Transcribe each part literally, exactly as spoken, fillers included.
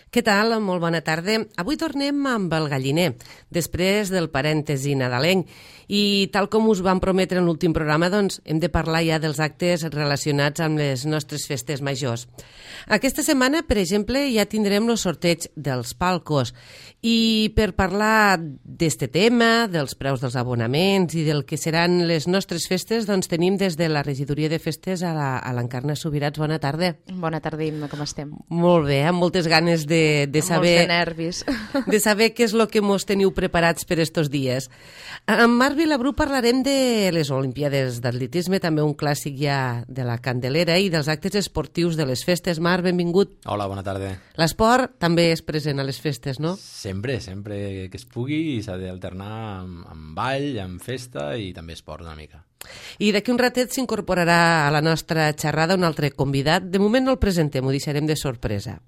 Què tal? Molt bona tarda. Avui tornem amb el galliner, després del parèntesi nadalenc. I tal com us vam prometre en l'últim programa, doncs hem de parlar ja dels actes relacionats amb les nostres festes majors. Aquesta setmana, per exemple, ja tindrem el sorteig dels palcos. I per parlar d'este tema, dels preus dels abonaments i del que seran les nostres festes, doncs tenim des de la regidoria de festes a l'Encarna Subirats. Bona tarda. Bona tarda, Imma, com estem? Molt bé, amb moltes ganes de, de saber... Molts de nervis. De saber què és el que mos teniu preparats per estos dies. Amb Marc Vilabrú parlarem de les Olimpíades d'Atletisme, també un clàssic ja de la Candelera, i dels actes esportius de les festes. Marc, benvingut. Hola, bona tarda. L'esport també és present a les festes, no? Sempre, sempre que es pugui, i s'ha d'alternar amb, amb ball, amb festa i també esport una mica. I d'aquí un ratet s'incorporarà a la nostra xerrada un altre convidat. De moment no el presentem, ho deixarem de sorpresa.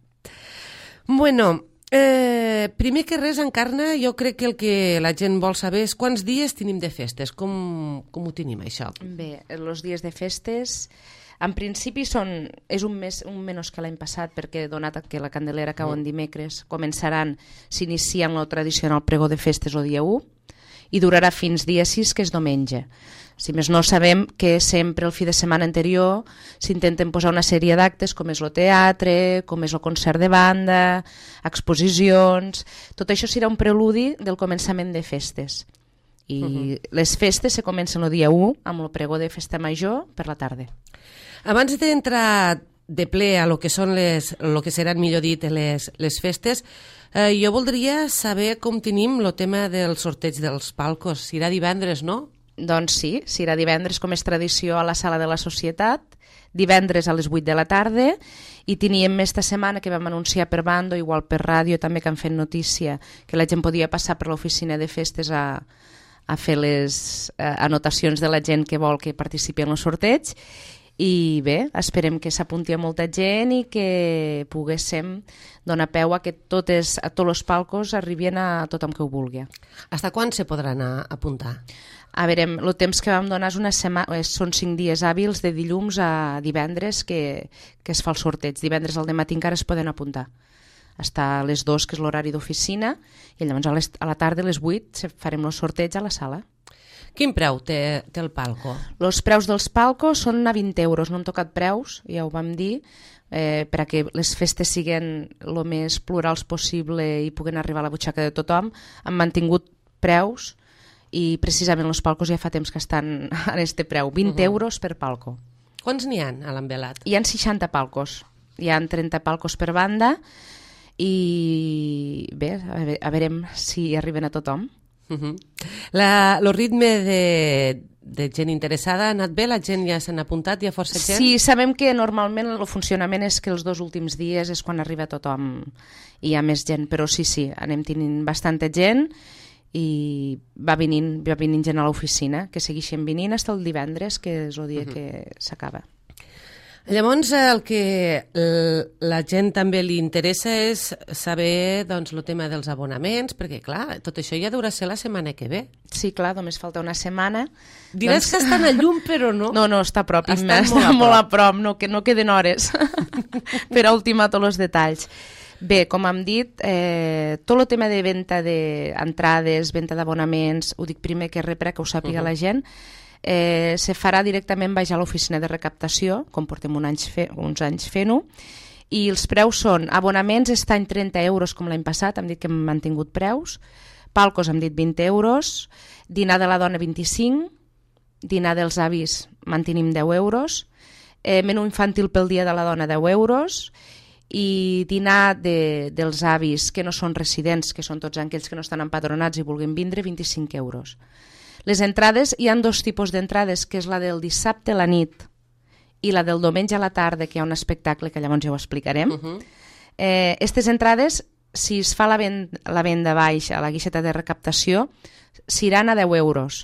Bueno, eh, primer que res, Encarna, jo crec que el que la gent vol saber és quants dies tenim de festes, com, com ho tenim, això? Bé, els dies de festes, en principi són, és un mes un menys que l'any passat, perquè donat que la Candelera cau en dimecres, començaran, s'inicien el tradicional pregó de festes el dia u i durarà fins dia sis, que és diumenge. Si més no, sabem que sempre el fi de setmana anterior s'intenten posar una sèrie d'actes com és el teatre, com és el concert de banda, exposicions... Tot això serà un preludi del començament de festes. I uh-huh. les festes se comencen el dia u amb el pregó de festa major per la tarda. Abans d'entrar de ple a lo que són les, lo que seran, millor dit, les, les festes, eh, jo voldria saber com tenim el tema del sorteig dels palcos. Serà divendres, no? Doncs sí, serà divendres, com és tradició, a la sala de la Societat, divendres a les vuit de la tarda, i teníem esta setmana que vam anunciar per bando, igual per ràdio també, que han fet notícia, que la gent podia passar per l'oficina de festes a, a fer les eh, anotacions de la gent que vol que participi en el sorteig. I bé, esperem que s'apunti a molta gent i que poguéssim donar peu a que totes, a tots els palcos arribin a tothom que ho vulgui. Hasta quan se podran apuntar? A veure, el temps que vam donar és una setmana, són cinc dies hàbils de dilluns a divendres que, que es fa el sorteig. Divendres al dematí encara es poden apuntar. Està a les dues, que és l'horari d'oficina, i llavors a, les, a la tarda a les vuit farem el sorteig a la sala. Quin preu té, té el palco? Els preus dels palcos són a vint euros, no hem tocat preus, ja ho vam dir, eh, per a que les festes siguin el més plurals possible i puguen arribar a la butxaca de tothom. Han mantingut preus i precisament els palcos ja fa temps que estan a este preu, vint uh-huh. euros per palco. Quants n'hi ha a l'Envelat? Hi ha seixanta palcos, hi ha trenta palcos per banda i bé, a veure, a veurem si arriben a tothom. Uh-huh. La, el ritme de, de gent interessada ha anat bé? La gent ja s'han apuntat? Hi ha força gent? Sí, sabem que normalment el funcionament és que els dos últims dies és quan arriba tothom i hi ha més gent, però sí, sí, anem tenint bastanta gent i va venint, va venint gent a l'oficina, que segueixen venint fins el divendres, que és el dia uh-huh. que s'acaba. Llavors, el que la gent també li interessa és saber, doncs, el tema dels abonaments, perquè, clar, tot això ja durà ser la setmana que ve. Sí, clar, només falta una setmana. Diràs doncs... que estan a llum, però no. No, no, està a prop, està, està molt, molt a prop, no, que no queden hores per a ultimar tots els detalls. Bé, com hem dit, eh, tot el tema de venda d'entrades, venda d'abonaments, ho dic primer que res per a que ho sàpiga uh-huh. la gent, Eh, se farà directament baix a l'oficina de recaptació, com portem un anys fe, uns anys fent-ho, i els preus són abonaments, està en trenta euros com l'any passat, hem dit que hem mantingut preus, palcos hem dit vint euros, dinar de la dona vint-i-cinc, dinar dels avis mantenim deu euros, eh, menú infantil pel dia de la dona deu euros, i dinar de, dels avis que no són residents, que són tots aquells que no estan empadronats i vulguin vindre, vint-i-cinc euros. Les entrades, hi ha dos tipus d'entrades, que és la del dissabte a la nit i la del diumenge a la tarda, que hi ha un espectacle que llavors ja ho explicarem. Uh-huh. Eh, estes entrades, si es fa la, ven la venda baix a la guixeta de recaptació, seran a deu euros.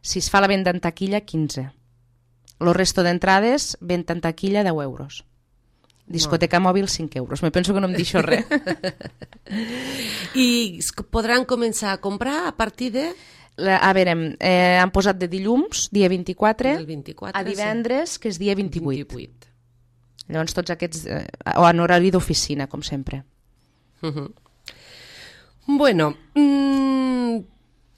Si es fa la venda en taquilla, quinze. El resto d'entrades, venda en taquilla, deu euros. Discoteca mòbil, cinc euros. Me penso que no em deixo res. I podran començar a comprar a partir de... A veure, eh, han posat de dilluns, dia vint-i-quatre, vint-i-quatre a divendres, sí. que és dia vint-i-vuit. vint-i-vuit. Llavors tots aquests, eh, o en horari d'oficina, com sempre. Uh-huh. Bueno, mmm,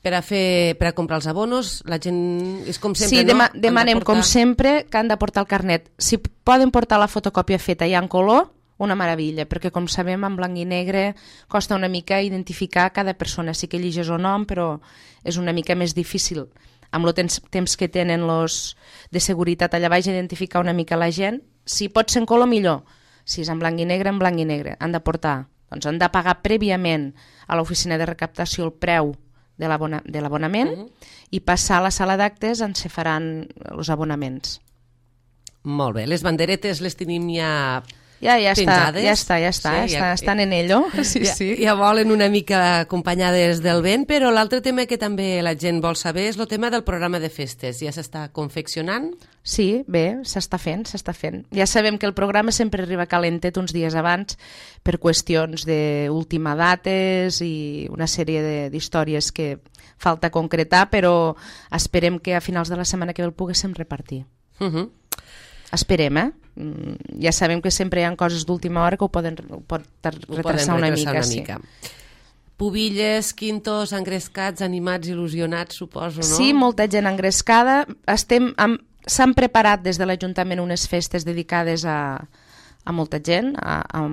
per a fer per a comprar els abonos, la gent és com sempre, sí, no? dema demanem de portar... com sempre que han de portar el carnet. Si poden portar la fotocòpia feta ja en color, una meravella, perquè com sabem en blanc i negre costa una mica identificar cada persona. Sí que llegeix el nom, però és una mica més difícil amb el temps, temps que tenen los de seguretat allà baix identificar una mica la gent. Si pot ser en color, millor. Si és en blanc i negre, en blanc i negre. Han de portar, doncs han de pagar prèviament a l'oficina de recaptació el preu de l'abonament uh-huh. i passar a la sala d'actes on se faran els abonaments. Molt bé, les banderetes les tenim ja... Ja, ja està, penjades. ja està, ja està, sí, ja, estan en ello. Sí, ja, sí. ja volen una mica acompanyades del vent, però l'altre tema que també la gent vol saber és el tema del programa de festes. Ja s'està confeccionant? Sí, bé, s'està fent, s'està fent. Ja sabem que el programa sempre arriba calentet uns dies abans per qüestions d'última dates i una sèrie d'històries que falta concretar, però esperem que a finals de la setmana que ve el poguéssim repartir. Uh -huh. Esperem, eh? Ja sabem que sempre hi ha coses d'última hora que ho poden, ho pot retrasar una mica. Una mica. Sí. Pubilles, quintos, engrescats, animats, il·lusionats, suposo, no? Sí, molta gent engrescada. Estem amb... S'han preparat des de l'Ajuntament unes festes dedicades a, a molta gent, a, a,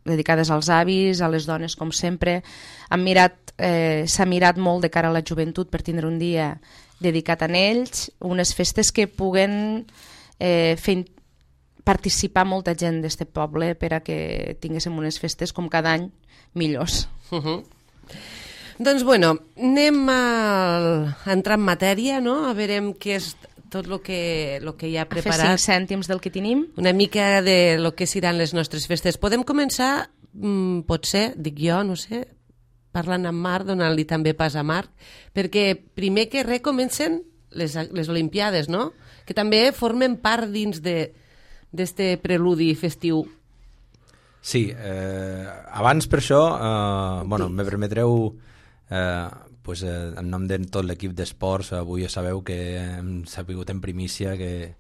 dedicades als avis, a les dones, com sempre. Han mirat, eh, s'ha mirat molt de cara a la joventut per tindre un dia dedicat a ells, unes festes que puguen eh, fer participar molta gent d'este poble per a que tinguéssim unes festes com cada any millors. Uh -huh. Doncs bueno, anem a, a entrar en matèria, no? A veure què és tot el que, lo que hi ha preparat. A fer cinc cèntims del que tenim. Una mica de lo que seran les nostres festes. Podem començar, mmm, potser, dic jo, no sé, parlant amb Marc, donant-li també pas a Marc, perquè primer que res comencen les, les Olimpiades, no? Que també formen part dins de d'este preludi festiu. Sí, eh, abans per això, eh, bueno, me permetreu, eh, pues, eh, en nom de tot l'equip d'esports, avui ja sabeu que hem sabut en primícia que,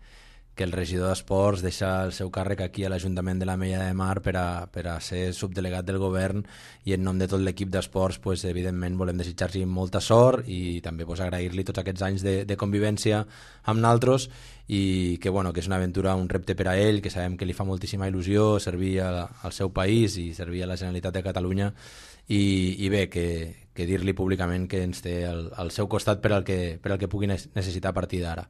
que el regidor d'Esports deixa el seu càrrec aquí a l'Ajuntament de l'Ametlla de Mar per a, per a ser subdelegat del govern, i en nom de tot l'equip d'esports, pues, evidentment volem desitjar-li molta sort i també pues, agrair-li tots aquests anys de, de convivència amb naltros, i que, bueno, que és una aventura, un repte per a ell, que sabem que li fa moltíssima il·lusió servir a, al seu país i servir a la Generalitat de Catalunya, i, i bé, que, que dir-li públicament que ens té al, al seu costat per al que, per al que pugui necessitar a partir d'ara.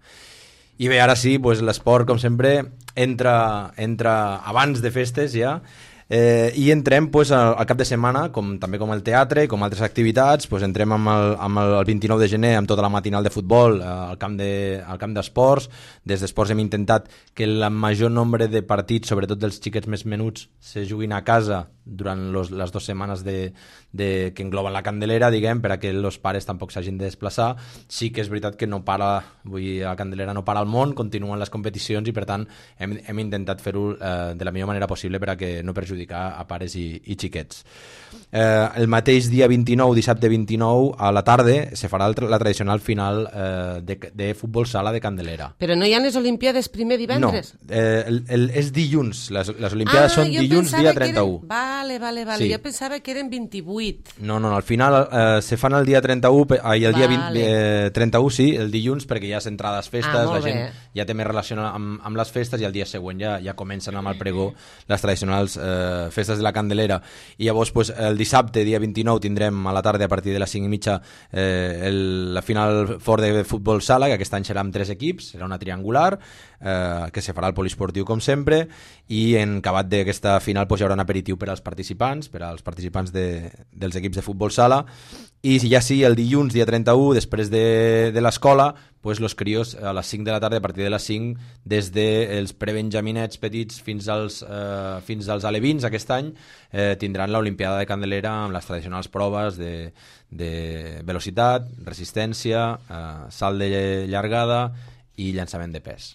I bé, ara sí, pues, l'esport, com sempre, entra, entra abans de festes ja, eh, i entrem pues, al, al cap de setmana, com, també com el teatre, com altres activitats, pues, entrem amb el, amb el, el vint-i-nou de gener amb tota la matinal de futbol eh, al camp de, al camp d'esports. Des d'esports hem intentat que el major nombre de partits, sobretot dels xiquets més menuts, se juguin a casa durant los, les dues setmanes de, de, que engloben la Candelera, diguem, per a que els pares tampoc s'hagin de desplaçar. Sí que és veritat que no para, vull dir, la Candelera no para al món, continuen les competicions, i per tant hem, hem intentat fer-ho eh, de la millor manera possible per a que no perjudicar a pares i, i xiquets. Eh, el mateix dia vint-i-nou, dissabte vint-i-nou, a la tarda, se farà el, la tradicional final eh, de, de futbol sala de Candelera. Però no hi ha les Olimpiades primer divendres? No, eh, el, el, és dilluns, les, les Olimpiades ah, són dilluns, dia trenta-u. Eren... Vale, vale, vale. Sí. Jo pensava que eren vint-i-vuit. No, no, no, al final eh, se fan el dia trenta-u, i el dia vale. vint, eh, trenta-u sí, el dilluns, perquè ja és entrades festes, ah, la gent bé. Ja té més relació amb, amb les festes, i el dia següent ja, ja comencen amb el pregó les tradicionals eh, festes de la Candelera. I llavors pues, el dissabte, dia vint-i-nou, tindrem a la tarda, a partir de les cinc i mitja, eh, el, la final fort de futbol sala, que aquest any serà amb tres equips, serà una triangular, eh, que se farà al poliesportiu com sempre, i en acabat d'aquesta final pues, hi haurà un aperitiu per als participants, per als participants de, dels equips de futbol sala, i ja sí, el dilluns, dia trenta-u, després de, de l'escola, pues los crios a les cinc de la tarda, a partir de les cinc, des dels prebenjaminets petits fins als, eh, fins als alevins aquest any, eh, tindran l'Olimpiada de Candelera amb les tradicionals proves de, de velocitat, resistència, eh, salt de llargada i llançament de pes.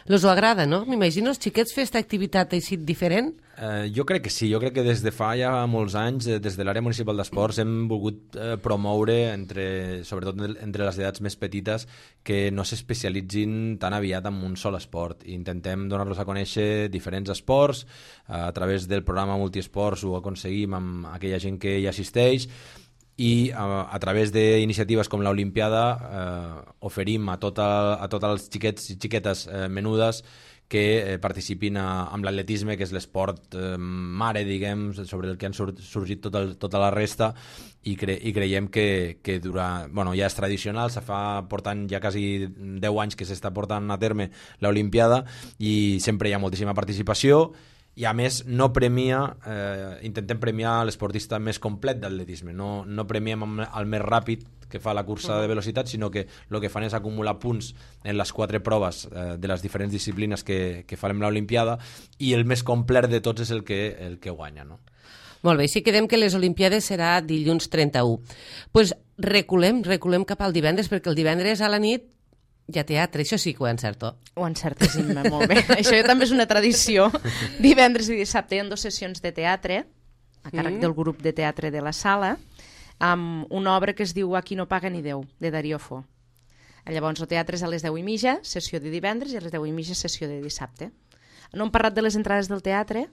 Els ho agrada, no? M'imagino els xiquets fer aquesta activitat així diferent. Eh, jo crec que sí, jo crec que des de fa ja molts anys, eh, des de l'àrea municipal d'esports, hem volgut eh, promoure, entre, sobretot entre les edats més petites, que no s'especialitzin tan aviat en un sol esport. Intentem donar-los a conèixer diferents esports, eh, a través del programa Multiesports ho aconseguim amb aquella gent que hi assisteix, i a, a través d'iniciatives com l'Olimpiada eh, oferim a, tota, a tots els xiquets i xiquetes eh, menudes que eh, participin a, amb l'atletisme, que és l'esport eh, mare, diguem, sobre el que han sur sorgit tot el, tota la resta, i, cre i creiem que, que dura, bueno, ja és tradicional, se fa portant ja quasi deu anys que s'està portant a terme l'Olimpiada, i sempre hi ha moltíssima participació, i a més no premia, eh, intentem premiar l'esportista més complet d'atletisme, no, no premiem el més ràpid que fa la cursa de velocitat, sinó que el que fan és acumular punts en les quatre proves eh, de les diferents disciplines que, que farem l'Olimpiada, i el més complet de tots és el que, el que guanya, no? Molt bé, si quedem que les Olimpiades serà dilluns trenta-u. Doncs pues reculem, reculem cap al divendres, perquè el divendres a la nit hi ha teatre, això sí que ho encerto. Ho encertes, Imma, molt bé. Això ja també és una tradició. Divendres i dissabte hi ha dues sessions de teatre, a càrrec mm. del grup de teatre de la sala, amb una obra que es diu Aquí no paga ni Déu, de Darío Fo. Llavors, el teatre és a les deu i mitja, sessió de divendres, i a les deu i mitja, sessió de dissabte. No hem parlat de les entrades del teatre,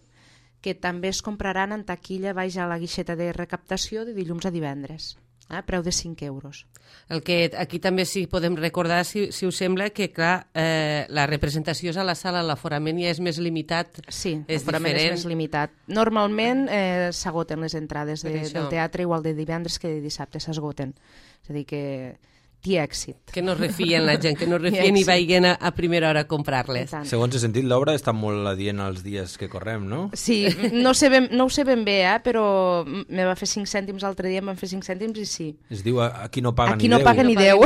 que també es compraran en taquilla baix a la guixeta de recaptació de dilluns a divendres. A preu de cinc euros. El que aquí també sí podem recordar, si, si us sembla, que clar, eh, la representació és a la sala, l'aforament ja és més limitat. Sí, és l'aforament és més limitat. Normalment eh, s'agoten les entrades de, del teatre, igual de divendres que de dissabte s'esgoten. És a dir que té èxit. Que no refien la gent, que no refien i vagin a, a primera hora a comprar-les. Segons he sentit, l'obra està molt adient als dies que correm, no? Sí, no, sé ben, no ho sé ben bé, eh, però me va fer cinc cèntims l'altre dia, em van fer cinc cèntims i sí. Es diu Aquí no paga Aquí ni no Déu. Paga ni Déu.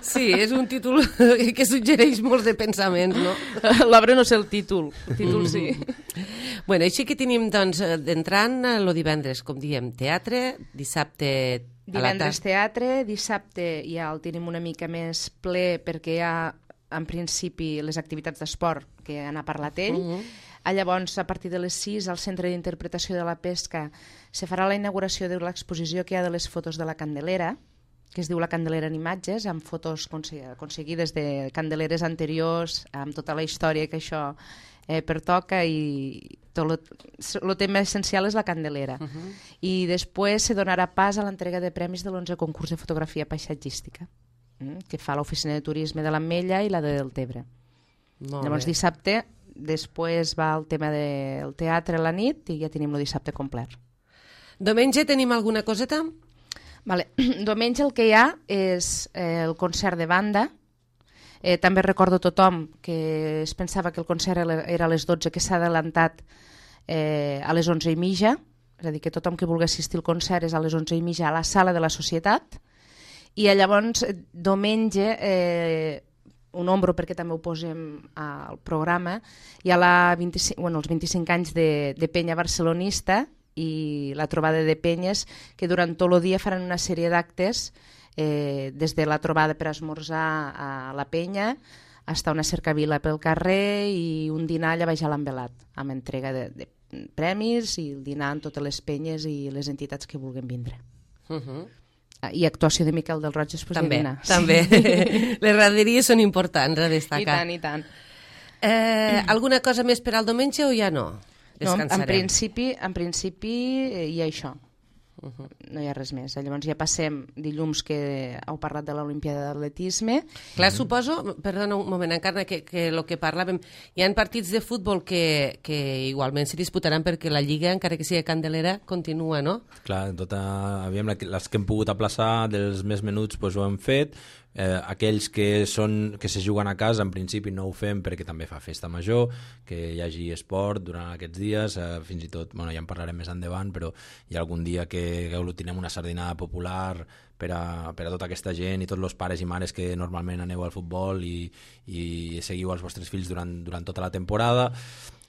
Sí, és un títol que suggereix molts de pensaments, no? L'obra no sé el títol, el títol sí. Bueno, així que tenim, doncs, d'entrant el divendres, com diem, teatre, dissabte divendres teatre, dissabte ja el tenim una mica més ple perquè hi ha, en principi, les activitats d'esport que n'ha parlat ell. Uh -huh. Llavors, a partir de les sis, al Centre d'Interpretació de la Pesca se farà la inauguració de l'exposició que hi ha de les fotos de la Candelera, que es diu La Candelera en imatges, amb fotos aconseguides de candeleres anteriors, amb tota la història que això eh, pertoca, i tot el tema essencial és la Candelera. Uh -huh. I després se donarà pas a l'entrega de premis de l'onze concurs de fotografia paisatgística, eh, que fa l'Oficina de Turisme de l'Ametlla i la de Deltebre. Llavors bé. Dissabte, després va el tema del teatre a la nit i ja tenim el dissabte complet. Diumenge tenim alguna coseta? Vale. Diumenge el que hi ha és eh, el concert de banda. Eh, també recordo a tothom que es pensava que el concert era a les dotze, que s'ha adelantat eh, a les onze i mitja, és a dir, que tothom que vulgui assistir al concert és a les onze i mitja a la sala de la Societat, i llavors diumenge, eh, ho nombro perquè també ho posem al programa, hi ha la vint-i-cinc, bueno, els vint-i-cinc anys de, de Penya Barcelonista i la trobada de penyes, que durant tot el dia faran una sèrie d'actes, eh, des de la trobada per esmorzar a la penya, fins a una cercavila pel carrer i un dinar allà baix a l'Envelat, amb entrega de, de premis i el dinar amb totes les penyes i les entitats que vulguin vindre. Uh -huh. I actuació de Miquel del Roig després també, de dinar. També, sí. Les raderies són importants a destacar. I tant, i tant. Eh, alguna cosa més per al diumenge o ja no? No, en principi, en principi hi ha això. Uh -huh. No hi ha res més. Llavors ja passem dilluns, que heu parlat de l'Olimpiada d'Atletisme. Clar, suposo, perdona un moment, encara que, que el que parlàvem, hi ha partits de futbol que, que igualment s'hi disputaran perquè la Lliga, encara que sigui Candelera, continua, no? Clar, tota, aviam, les que hem pogut aplaçar dels més menuts doncs ho hem fet. Eh, aquells que, són, que se juguen a casa en principi no ho fem perquè també fa festa major, que hi hagi esport durant aquests dies, eh, fins i tot, bueno, ja en parlarem més endavant, però hi ha algun dia que aglutinem una sardinada popular per a, per a tota aquesta gent i tots els pares i mares que normalment aneu al futbol i, i seguiu els vostres fills durant, durant tota la temporada.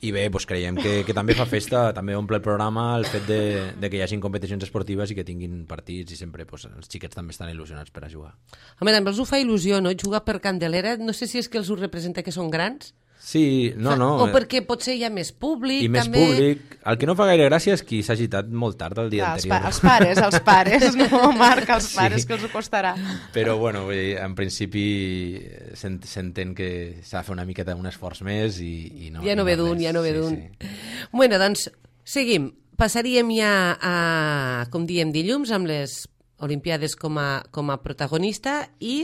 I bé, doncs creiem que, que també fa festa, també omple el programa el fet de, de que hi hagin competicions esportives i que tinguin partits i sempre doncs, els xiquets també estan il·lusionats per a jugar. Home, també els ho fa il·lusió, no? Jugar per Candelera, no sé si és que els ho representa que són grans. Sí, no, no. O perquè potser hi ha més públic. I més també... públic. El que no fa gaire gràcia és qui s'ha agitat molt tard el dia ah, anterior. Els, pa els pares, els pares, no, Marc, els pares, sí. Que els ho costarà. Però, bueno, vull dir, en principi s'entén que s'ha de fer una miqueta un esforç més i, i no... Ja no ve d'un, ja no ve d'un. Sí, sí. Bueno, doncs, seguim. Passaríem ja a, com diem, dilluns, amb les Olimpiades com a, com a protagonista i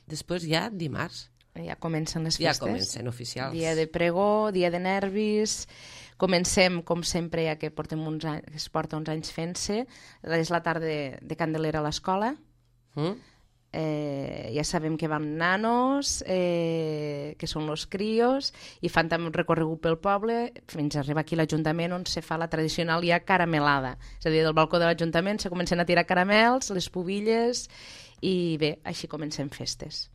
després ja dimarts. Ja comencen les ja festes. Ja comencen oficials. Dia de pregó, dia de nervis. Comencem, com sempre, ja que portem uns anys, que es porta uns anys fent-se. És la tarda de, de Candelera a l'escola. Mm. Eh, ja sabem que van nanos, eh, que són els crios, i fan també un recorregut pel poble fins a arribar aquí a l'Ajuntament, on se fa la tradicional ja caramelada. És a dir, del balcó de l'Ajuntament se comencen a tirar caramels, les pubilles, i bé, així comencem festes.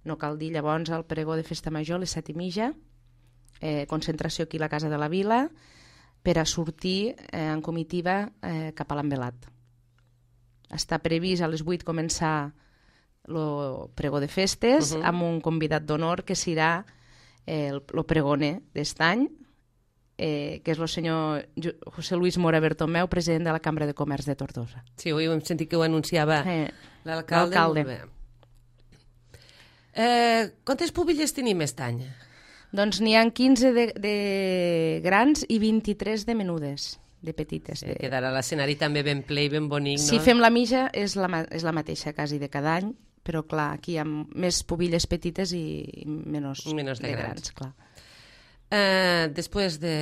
No cal dir, llavors, el pregó de festa major, les set i mitja, eh, concentració aquí a la Casa de la Vila, per a sortir eh, en comitiva eh, cap a l'Envelat. Està previst a les vuit començar el pregó de festes, uh-huh. amb un convidat d'honor que serà eh, el, el pregoner d'est any, eh, que és el senyor José Luis Mora Bertomeu, president de la Cambra de Comerç de Tortosa. Sí, avui hem sentit que ho anunciava eh, l'alcalde. L'alcalde. Eh, quantes pubilles tenim aquest any? Doncs n'hi ha quinze de, de grans i vint-i-tres de menudes, de petites. Sí, de... Quedarà l'escenari també ben ple i ben bonic, no? Si fem la mitja és la, és la mateixa quasi de cada any, però clar, aquí hi ha més pubilles petites i menys, menys de, de grans. grans clar. Eh, després de,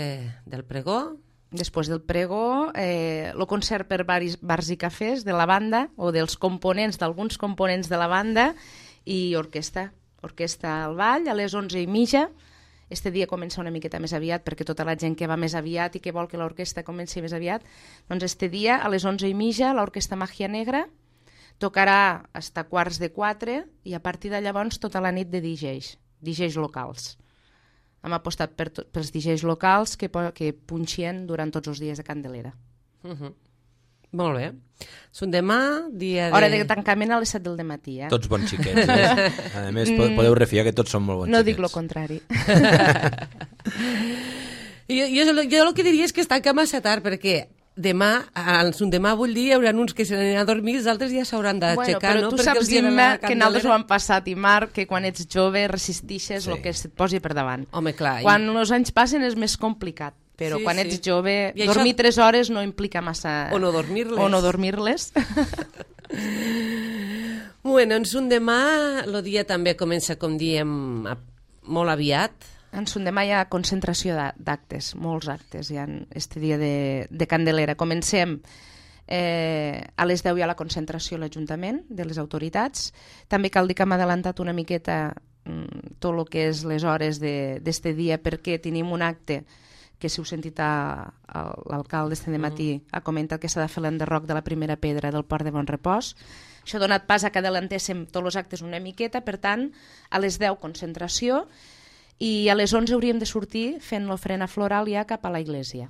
del pregó... Després del pregó, eh, el concert per baris, bars i cafès de la banda, o dels components, d'alguns components de la banda, i orquestra. Orquestra al ball, a les onze i mitja. Este dia comença una miqueta més aviat, perquè tota la gent que va més aviat i que vol que l'orquestra comenci més aviat, doncs este dia, a les onze i mitja, l'orquestra Màgia Negra tocarà fins a quarts de quatre i a partir de llavors tota la nit de D Js, D Js locals. Hem apostat per pels D Js locals que, que punxien durant tots els dies de Candelera. Uh-huh. Molt bé. Són demà, dia de... Hora de tancament a les set del matí, eh? Tots bons xiquets, eh? A més, podeu refiar que tots són molt bons no xiquets. No dic el contrari. jo, jo, jo el que diria és que es tanca massa tard, perquè demà, un demà vull dir, hi haurà uns que se n'aniran a dormir, els altres ja s'hauran d'aixecar, bueno, no? Però tu saps, Imma, que nosaltres ho hem passat, i Marc, que quan ets jove resistixes sí. el que se't posi per davant. Home, clar. Quan i... els anys passen és més complicat. Però sí, quan ets sí. jove, I dormir això... tres hores no implica massa... O no dormir-les. O no dormir-les. Bueno, en un demà, el dia també comença, com diem, molt aviat. En un demà hi ha concentració d'actes, molts actes, hi ha este dia de, de Candelera. Comencem eh, a les deu hi ha la concentració a l'Ajuntament de les autoritats. També cal dir que hem adelantat una miqueta mm, tot el que és les hores d'este dia, perquè tenim un acte que si heu sentit l'alcalde este de matí mm. ha comentat que s'ha de fer l'enderroc de la primera pedra del port de Bon Repòs. Això ha donat pas a que adelantéssim tots els actes una miqueta, per tant, a les deu concentració i a les onze hauríem de sortir fent l'ofrena floral ja cap a la iglesia.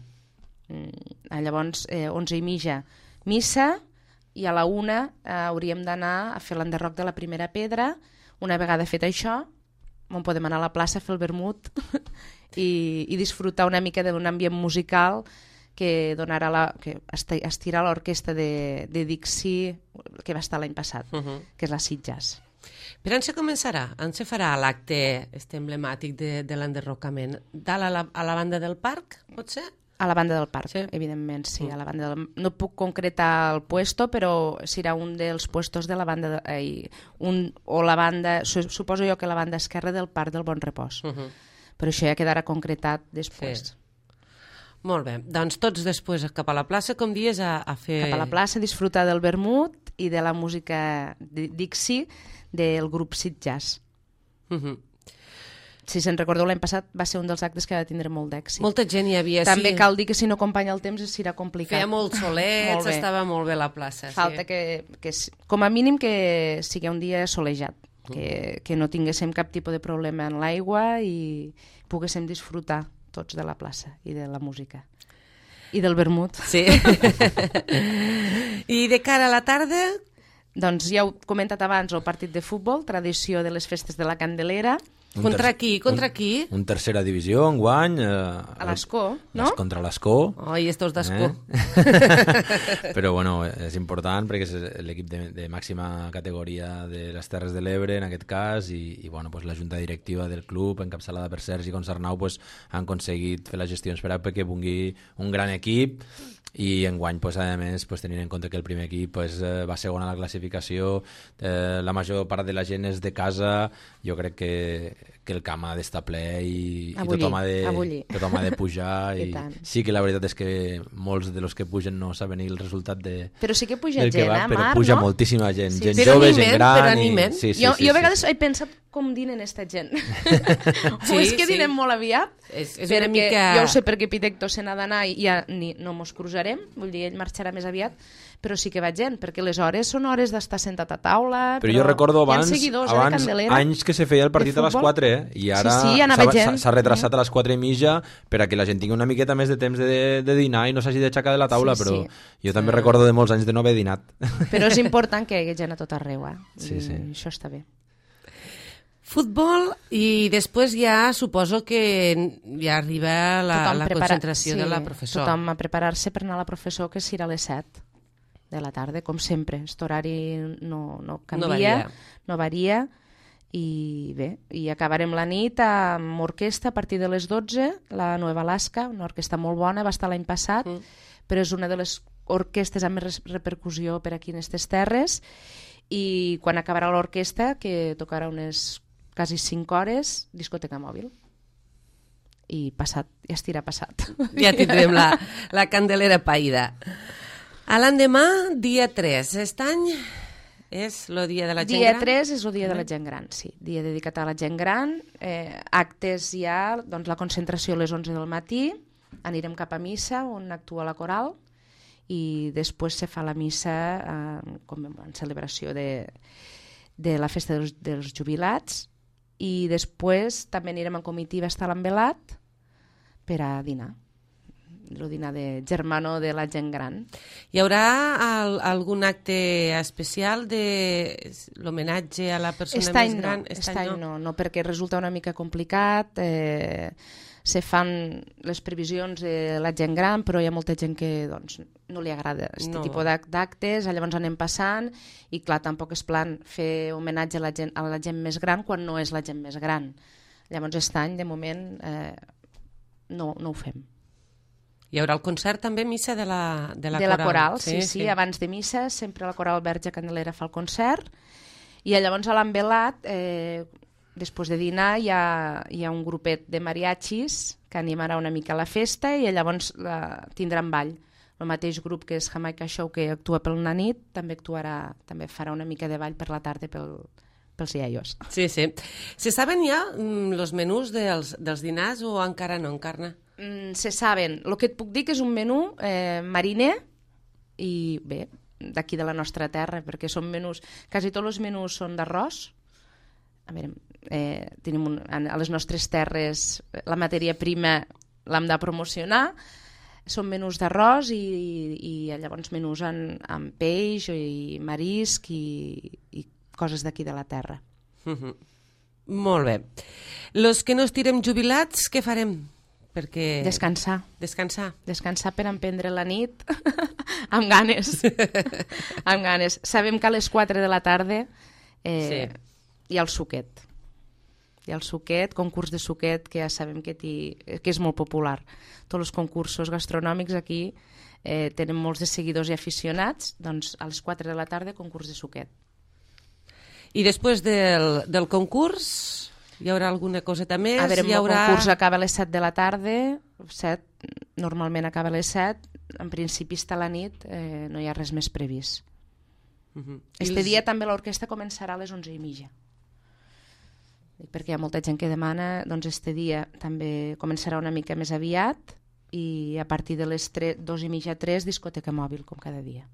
Mm, llavors, eh, onze i mitja missa i a la una eh, hauríem d'anar a fer l'enderroc de la primera pedra. Una vegada fet això, on podem anar a la plaça a fer el vermut i, i disfrutar una mica d'un ambient musical que donarà la, que estirà l'orquestra de, de Dixi que va estar l'any passat, uh -huh. que és la Sitges. Per on se començarà? On se farà l'acte este emblemàtic de, de l'enderrocament? Dalt a la, a la banda del parc, pot ser? A la banda del parc, sí. Evidentment, sí. Mm. A la banda del... No puc concretar el puesto, però serà un dels puestos de la banda... De... Eh, un... O la banda... Suposo jo que la banda esquerra del parc del Bon Repòs. Uh -huh. Però això ja quedarà concretat després. Sí. Molt bé. Doncs tots després cap a la plaça, com dius, a, a fer... Cap a la plaça, disfrutar del vermut i de la música de Dixi del grup Sitges. Uh -huh. si se'n recordeu, l'any passat va ser un dels actes que va tindre molt d'èxit. Molta gent hi havia, També sí. cal dir que si no acompanya el temps serà complicat. Feia molts solets, molt estava molt bé la plaça. Falta sí. que, que, com a mínim, que sigui un dia solejat, que, que no tinguéssim cap tipus de problema en l'aigua i poguéssim disfrutar tots de la plaça i de la música. I del vermut. Sí. I de cara a la tarda... Doncs ja heu comentat abans el partit de futbol, tradició de les festes de la Candelera. Un contra ter... qui? Contra un, qui? Un tercera divisió, enguany. Eh, a l'Escó, no? Contra l'Escó. Oi, estos d'Escó. Eh? Però, bueno, és important perquè és l'equip de, de màxima categoria de les Terres de l'Ebre, en aquest cas, i, i bueno, pues, la junta directiva del club, encapçalada per Sergi Concernau, pues, han aconseguit fer les gestions per a que vingui un gran equip, i enguany, pues, a més, pues, tenint en compte que el primer equip pues, eh, va segon a la classificació, eh, la major part de la gent és de casa, jo crec que, que el camp ha d'estar ple i, i tothom, ha de, tothom ha de pujar i, i sí que la veritat és que molts de los que pugen no saben el resultat de, però sí que puja gent, va, eh, però Marc, puja no? moltíssima gent, sí, gent sí. jove, animen, gent gran i... sí, sí, jo, sí, jo a vegades sí, sí. he pensat com dinen esta gent. Sí, o és que sí. dinen molt aviat, és, és perquè una mica... jo ho sé perquè Pitecto se n'ha d'anar i ja ni, no mos cruzarem, vull dir, ell marxarà més aviat, però sí que va gent, perquè les hores són hores d'estar sentat a taula, però, però jo recordo abans, abans eh, anys que se feia el partit a les quatre, eh? I ara sí, sí, s'ha retrasat a les quatre i mitja per a que la gent tingui una miqueta més de temps de, de dinar i no s'hagi d'aixecar de la taula, sí, però sí. Jo també mm. recordo de molts anys de no haver dinat. Però és important que hi hagi gent a tot arreu, eh? Sí, sí. I això està bé. Futbol i després ja suposo que ja arriba la, la prepara... concentració sí, de la professor. Tothom a preparar-se per anar a la professor, que serà a les set de la tarda, com sempre. Aquest horari no, no canvia, no varia. no varia, i bé, i acabarem la nit amb orquestra a partir de les dotze, la Nueva Alaska, una orquestra molt bona, va estar l'any passat, mm. però és una de les orquestres amb més repercussió per aquí en aquestes terres, i quan acabarà l'orquestra, que tocarà unes quasi cinc hores, discoteca mòbil. I passat, ja estirà passat. Ja tindrem la, la candelera païda. A l'endemà, dia tres. Aquest any és el dia de la gent dia gran? Dia tres és el dia de la gent gran, sí. Dia dedicat a la gent gran. Eh, actes ja, doncs la concentració a les onze del matí, anirem cap a missa, on actua la coral, i després se fa la missa eh, com en celebració de, de la festa dels, dels jubilats, i després també anirem en comitiva a estar l'envelat per a dinar, el dinar de germano de la gent gran. Hi haurà el, algun acte especial de l'homenatge a la persona Est més gran? No, Est any no. no, no, perquè resulta una mica complicat, eh, se fan les previsions de la gent gran, però hi ha molta gent que doncs, no li agrada aquest no. tipus d'actes, llavors anem passant, i clar, tampoc és plan fer homenatge a la gent, a la gent més gran quan no és la gent més gran. Llavors aquest any, de moment, eh, no, no ho fem. Hi haurà el concert també, missa de la, de la de coral? De la coral, sí, sí, sí, sí, abans de missa sempre la coral Verge Candelera fa el concert, i llavors a l'envelat, eh, després de dinar hi ha, hi ha un grupet de mariachis que animarà una mica la festa, i llavors la, tindran ball. El mateix grup que és Jamaica Show, que actua pel la nit, també actuarà, també farà una mica de ball per la tarda pel, pels iaios. Sí, sí. Se saben ja mm, els menús dels, dels dinars o encara no, Encarna? Mm, se saben. El que et puc dir que és un menú eh, mariner i bé, d'aquí de la nostra terra, perquè són menús, quasi tots els menús són d'arròs. A veure, eh, tenim un, a les nostres terres la matèria prima l'hem de promocionar, són menús d'arròs i, i, i llavors menús en, en peix i marisc i, i coses d'aquí de la terra. Mm-hmm. Molt bé. Los que no estirem jubilats, què farem? Perquè... Descansar. Descansar. Descansar per emprendre la nit amb ganes. amb ganes. Sabem que a les quatre de la tarda eh, sí. hi ha el suquet. Hi ha el suquet, concurs de suquet, que ja sabem que, que és molt popular. Tots els concursos gastronòmics aquí eh, tenen molts de seguidors i aficionats, doncs a les quatre de la tarda concurs de suquet. I després del, del concurs hi haurà alguna coseta més? A veure, hi haurà... el concurs acaba a les set de la tarda, set, normalment acaba a les set, en principi està a la nit, eh, no hi ha res més previst. Uh-huh. Este els... dia també l'orquestra començarà a les onze i mitja. perquè hi ha molta gent que demana, doncs este dia també començarà una mica més aviat i a partir de les tres, dos i mitja, tres, discoteca mòbil, com cada dia.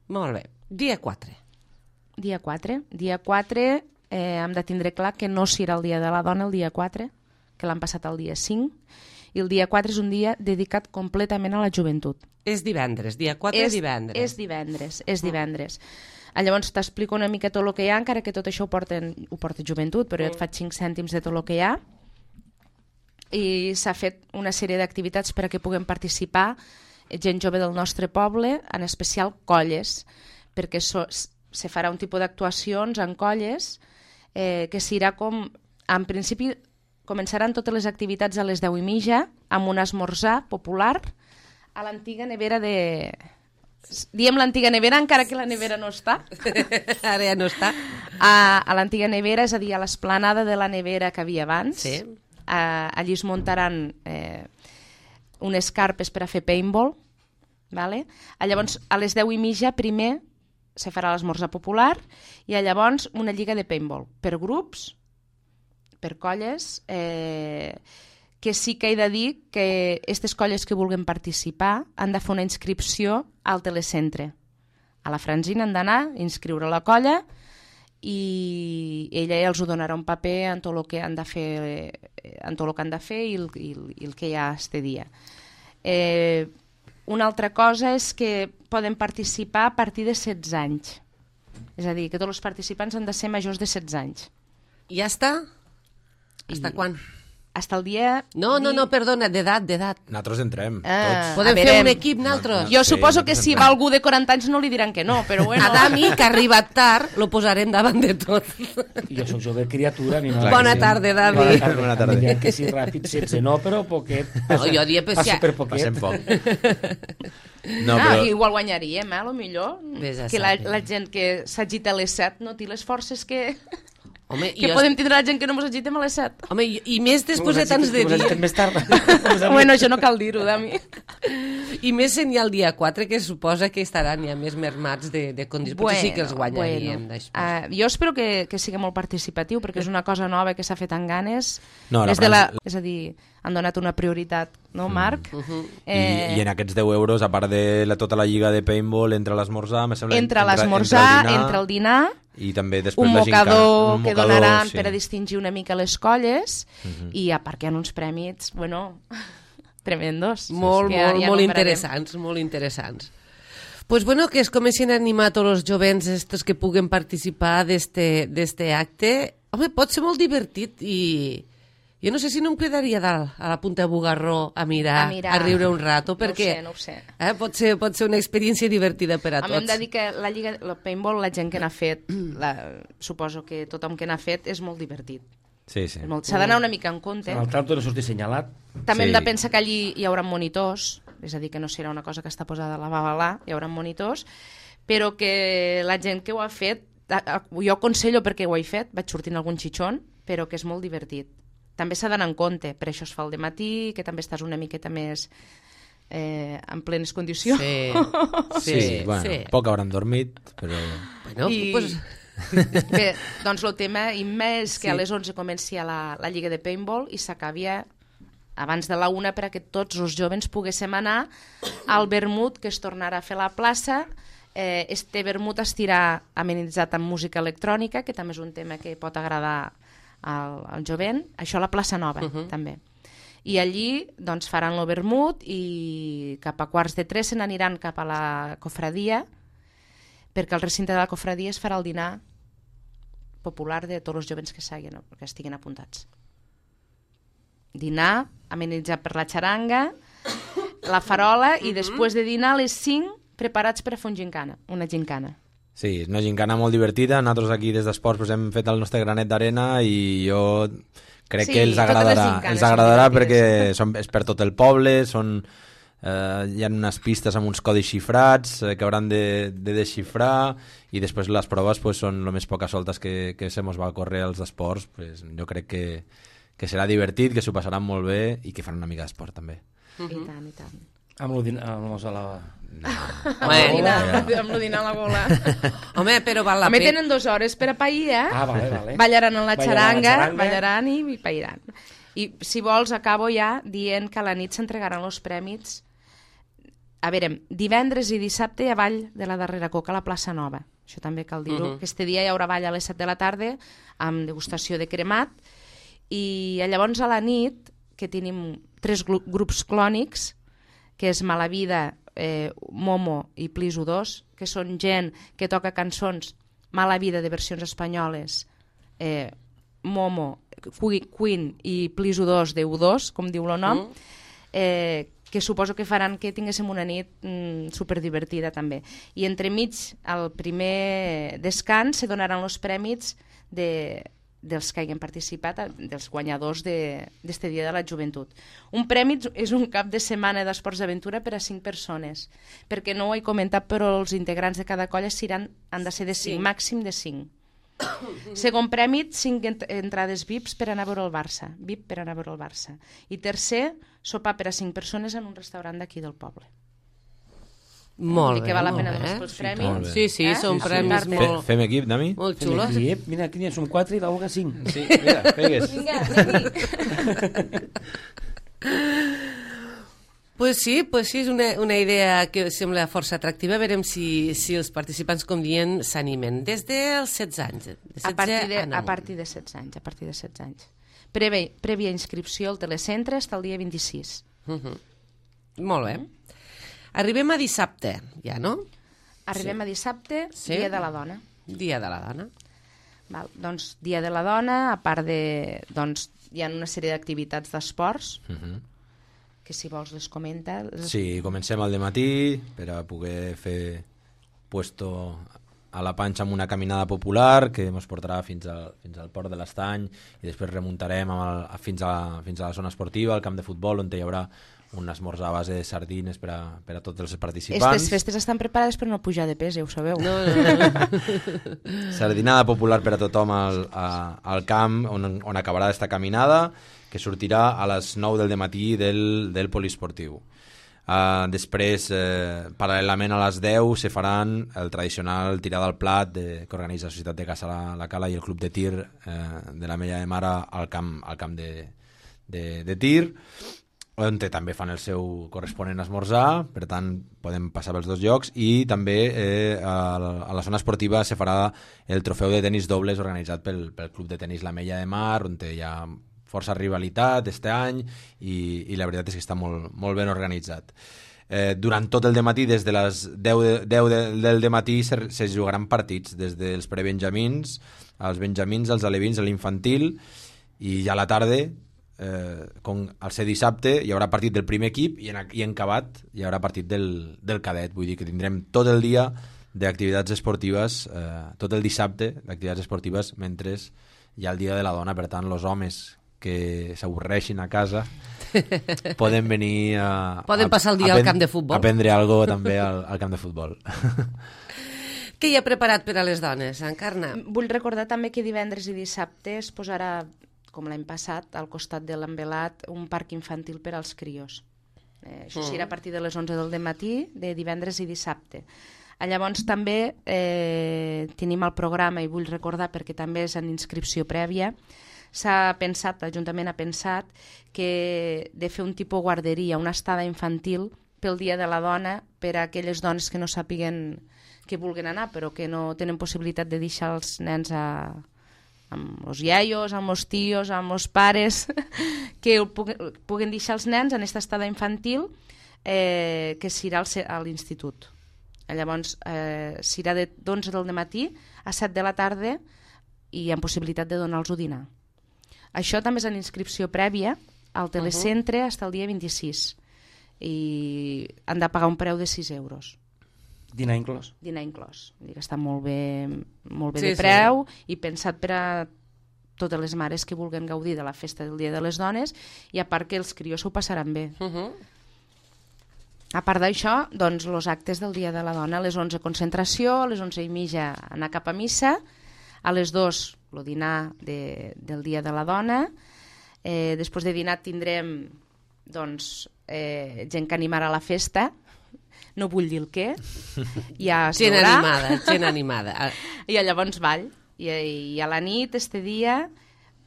Molt bé. Dia quatre. Dia quatre. Dia quatre eh, hem de tindre clar que no serà el dia de la dona el dia quatre, que l'han passat el dia cinc, i el dia quatre és un dia dedicat completament a la joventut. És divendres, dia quatre és divendres. És divendres, és divendres. Ah. Llavors t'explico una mica tot el que hi ha, encara que tot això ho, porten, ho porta joventut, però jo et faig cinc cèntims de tot el que hi ha. I s'ha fet una sèrie d'activitats per a que puguem participar gent jove del nostre poble, en especial colles, perquè so, se farà un tipus d'actuacions en colles eh, que serà com, en principi, començaran totes les activitats a les deu i mitja amb un esmorzar popular a l'antiga nevera de... Diem l'antiga nevera encara que la nevera no està. Ara ja no està. A, a l'antiga nevera, és a dir, a l'esplanada de la nevera que havia abans. Sí. A, allí es muntaran eh, unes carpes per a fer paintball. Vale? A llavors, a les deu i mitja, primer se farà l'esmorzar popular i a llavors una lliga de paintball per grups, per colles, eh, que sí que he de dir que aquestes colles que vulguin participar han de fer una inscripció al telecentre. A la Franzina han d'anar, inscriure la colla i ella ja els ho donarà un paper en tot el que han de fer, en tot el que han de fer i el, i el, i el que hi ha este dia. Eh, una altra cosa és que poden participar a partir de setze anys. És a dir, que tots els participants han de ser majors de setze anys. I ja està? Hasta I... quan? Hasta el dia... No, no, no, perdona, d'edat, d'edat. Nosaltres entrem, Ah, tots. Podem fer un equip, nosaltres? Jo Sí, suposo que nosaltres si entrem. va algú de quaranta anys no li diran que no, però bueno... A Dami, que ha arribat tard, lo posarem davant de tot. Jo sóc jove criatura. Ni Bona tarda, Dami. Bona tarda. Bona tarda. Em diran que sí, ràpid, setze no, però poquet. No, jo diria, pues, Passa ja- per poquet. Passem poc. No, ah, però... igual guanyaríem, eh, a lo millor. Vés a Que la, saber. la gent que s'agita a les set no té les forces que, Home, que jo... podem tindre la gent que no ens agitem a les set. Home, i, i més després de tants de dies. dies. Més tard. Bueno, això no cal dir-ho, Dami. I més sent ja el dia quatre, que suposa que estaran ja més mermats de, de condicions. Potser sí que els guanyaríem. Bueno. Després. Uh, jo espero que, que sigui molt participatiu, perquè és una cosa nova que s'ha fet amb ganes. No, la és, de la, França- és a dir, han donat una prioritat, no, Marc? Uh -huh. I, I en aquests deu euros, a part de la, tota la lliga de paintball, entre l'esmorzar, me sembla... Entre l'esmorzar, entre el dinar... I també després un la gincana. mocador Un que mocador, donaran sí. per a distingir una mica les colles Uh -huh. i a part que hi ha uns prèmits, bueno, tremendos. Molt, Que molt, ja molt nombrarem. interessants, molt interessants. Pues bueno, que es comencin a animar tots els jovents estos que puguen participar d'este acte. Home, pot ser molt divertit i jo no sé si no em quedaria dalt a la punta de Bugarró a mirar, A mirar. a riure un rato, No ho perquè sé, no ho sé. Eh, pot, ser, pot ser una experiència divertida per a A mi hem tots. de dir que la Lliga, el paintball, la gent que n'ha fet, la, suposo que tothom que n'ha fet és molt divertit. Sí, sí. És molt- S'ha d'anar una mica en compte. Al tanto no sortir senyalat. També Sí. hem de pensar que allí hi haurà monitors, és a dir, que no serà una cosa que està posada a la babalà, hi haurà monitors, però que la gent que ho ha fet, a- a- jo aconsello perquè ho he fet, vaig sortint algun xitxon, però que és molt divertit. També s'ha d'anar en compte, per això es fa el dematí, que també estàs una miqueta més eh, en plenes condicions. Sí, Sí, sí, sí, bueno, sí. poc hauran dormit, però... Bueno, I- pues, Bé, doncs el tema immens que Sí. a les onze comenci la, la lliga de paintball i s'acabi abans de la una per a que tots els jovens poguéssim anar al vermut que es tornarà a fer a la plaça. Eh, este vermut estirà amenitzat amb música electrònica, que també és un tema que pot agradar al, al jovent. Això a la plaça Nova, Uh -huh. també. I allí doncs, faran el vermut i cap a quarts de tres se n'aniran cap a la cofradia, perquè al recinte de la cofradia es farà el dinar popular de tots els jovens que, s'hagin, que estiguin apuntats. Dinar, amenitzat per la xaranga, la farola, i després de dinar a les cinc preparats per a fer un gincana, una gincana. Sí, és una gincana molt divertida. Nosaltres aquí des d'Esports pues, hem fet el nostre granet d'arena i jo crec Sí, que els totes les agradarà. gincanes Els són agradarà divertides. perquè són, és per tot el poble, són, eh, hi ha unes pistes amb uns codis xifrats eh, que hauran de, de desxifrar i després les proves pues, són el més poques soltes que, que se mos va córrer als esports. Pues, jo crec que, que serà divertit, que s'ho passaran molt bé i que fan una mica d'esport també. Uh -huh. I tant, i tant. Amb lo din- amb los a la... Bueno. Amb lo dinar a la gola. Home, però val la Home, pena. tenen dues hores per a pair, eh? Ah, vale, vale. Ballaran en la Ballaran xaranga, la xaranga. ballaran i, i pairan. I si vols, acabo ja dient que a la nit s'entregaran els prèmits. A veure, divendres i dissabte hi ha ball de la darrera coca a la plaça Nova. Això també cal dir-ho. Mhm. Aquest dia hi haurà ball a les set de la tarda amb degustació de cremat i llavors a la nit, que tenim tres gru- grups clònics, que és Malavida, eh, Momo i Pliso dos, que són gent que toca cançons Malavida de versions espanyoles, eh, Momo, Qui- Queen i Pliso dos de U dos, com diu el nom, eh, que suposo que faran que tinguéssim una nit mm, superdivertida també. I entremig, al primer descans, se donaran els prèmits de, dels que hagin participat, dels guanyadors d'este Dia de la Joventut. Un premi és un cap de setmana d'esports d'aventura per a cinc persones, perquè no ho he comentat, però els integrants de cada colla seran, han de ser de cinc, Cinc. màxim de cinc. Segon premi, cinc ent entrades V I Ps per anar a veure el Barça. V I P per anar a veure el Barça. I tercer, sopar per a cinc persones en un restaurant d'aquí del poble. Molt Vull dir bé, que val la molt pena bé. donar els molt prèmits. bé. Sí, sí, Eh? són Sí, sí. premis Fe- Fe, molt, fem equip, Dami? molt Fem xulos. equip. Mira, aquí ja som quatre i la Olga cinc. Sí, mira, pegues. Vinga, anem-hi. Pues sí, pues sí, és una, una idea que sembla força atractiva. Verem si, si els participants, com dient, s'animen. Des dels setze anys. De setze A partir de, en a amunt. partir de setze anys, a partir de setze anys. Prèvia, prèvia inscripció al telecentre fins al dia vint-i-sis. Mhm. Molt bé. Arribem a dissabte, ja, no? Arribem a dissabte, Sí. Dia de la Dona. Dia de la dona. Val, doncs, Dia de la Dona, a part de... Doncs, hi ha una sèrie d'activitats d'esports, Mhm. que si vols les comenta. Les... Sí, comencem al dematí per a poder fer puesto a la panxa amb una caminada popular que ens portarà fins al, fins al port de l'Estany i després remuntarem amb el, a- fins, a, fins a la zona esportiva, al camp de futbol, on hi haurà un esmorzar a base de sardines per a, per a tots els participants. Estes festes estan preparades per no pujar de pes, ja ho sabeu. No, no, no. Sardinada popular per a tothom al, a, al camp on, on acabarà aquesta caminada, que sortirà a les nou del dematí del, del poliesportiu. Uh, després, eh, paral·lelament a les deu, se faran el tradicional tirada al plat de, que organitza la Societat de Caça la, la Cala i el Club de Tir eh, de la Mella de Mar al camp, al camp de, de, de tir, on també fan el seu corresponent esmorzar, per tant podem passar pels dos llocs, i també eh, a, la, a la zona esportiva se farà el trofeu de tenis dobles organitzat pel, pel Club de Tenis La Mella de Mar, on hi ha força rivalitat este any i, i la veritat és que està molt, molt ben organitzat. Eh, durant tot el dematí, des de les deu, de, deu de, del dematí se, se jugaran partits, des dels prebenjamins als benjamins, als alevins, a l'infantil, i ja a la tarda, eh, com al ser dissabte, hi haurà partit del primer equip i en, i en acabat hi haurà partit del, del cadet. Vull dir que tindrem tot el dia d'activitats esportives, eh, tot el dissabte d'activitats esportives, mentre hi ha el Dia de la Dona. Per tant, els homes que s'avorreixin a casa poden venir a, Poden passar el dia a, al camp de futbol. a prendre alguna cosa també al, al camp de futbol. Què hi ha preparat per a les dones, Encarna? Vull recordar també que divendres i dissabte es posarà, com l'any passat, al costat de l'Envelat, un parc infantil per als crios. Eh, això serà a partir de les onze del dematí, de divendres i dissabte. Ah, llavors també eh, tenim el programa, i vull recordar perquè també és en inscripció prèvia, s'ha pensat, l'Ajuntament ha pensat que de fer un tipus guarderia, una estada infantil pel Dia de la Dona per a aquelles dones que no sàpiguen que vulguen anar però que no tenen possibilitat de deixar els nens a, amb els iaios, amb els tios, amb els pares, que puguen, puguen deixar els nens en aquesta estada infantil eh, que serà a l'institut. Llavors, eh, serà de d'onze del matí a set de la tarda i amb possibilitat de donar-los dinar. Això també és en inscripció prèvia al telecentre uh -huh. fins al dia vint-i-sis i han de pagar un preu de sis euros. Dinar inclòs. Dinar inclòs. Vull dir que està molt bé, molt bé Sí, de sí. preu i pensat per a totes les mares que vulguin gaudir de la festa del Dia de les Dones i a part que els crios s'ho passaran bé. Uh -huh. A part d'això, doncs, els actes del Dia de la Dona, a les onze concentració, a les onze i mitja anar cap a missa, a les dues el dinar de, del Dia de la Dona, eh, després de dinar tindrem doncs, eh, gent que animarà la festa, no vull dir el què, ja es Gent veurà. animada, gent animada. I llavors ball. I, I a la nit, este dia,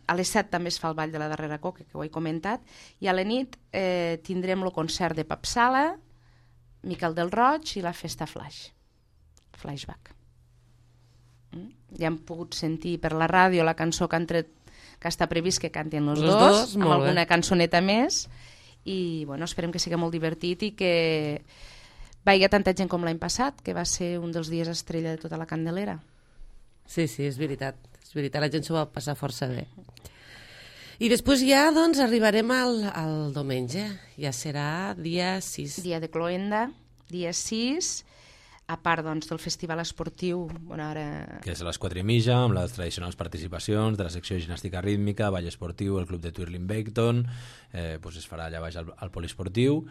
a les set també es fa el ball de la darrera coca, que ho he comentat, i a la nit eh, tindrem el concert de Papsala, Miquel del Roig i la festa Flash. Flashback. Mm? Ja hem pogut sentir per la ràdio la cançó que han tret, que està previst que cantin els, Els dos, dos, amb molt bé. alguna cançoneta més, i bueno, esperem que sigui molt divertit i que vagi tanta gent com l'any passat, que va ser un dels dies estrella de tota la Candelera. Sí, sí, és veritat. És veritat, la gent s'ho va passar força bé. I després ja, doncs, arribarem al, al diumenge. Ja serà dia sis. Dia de Cloenda, dia sis, a part doncs, del festival esportiu. Bueno, ara... Que és a les quatre i mitja, amb les tradicionals participacions de la secció de ginàstica rítmica, ball esportiu, el club de Twirling Bacon, eh, doncs es farà allà baix al, al poliesportiu,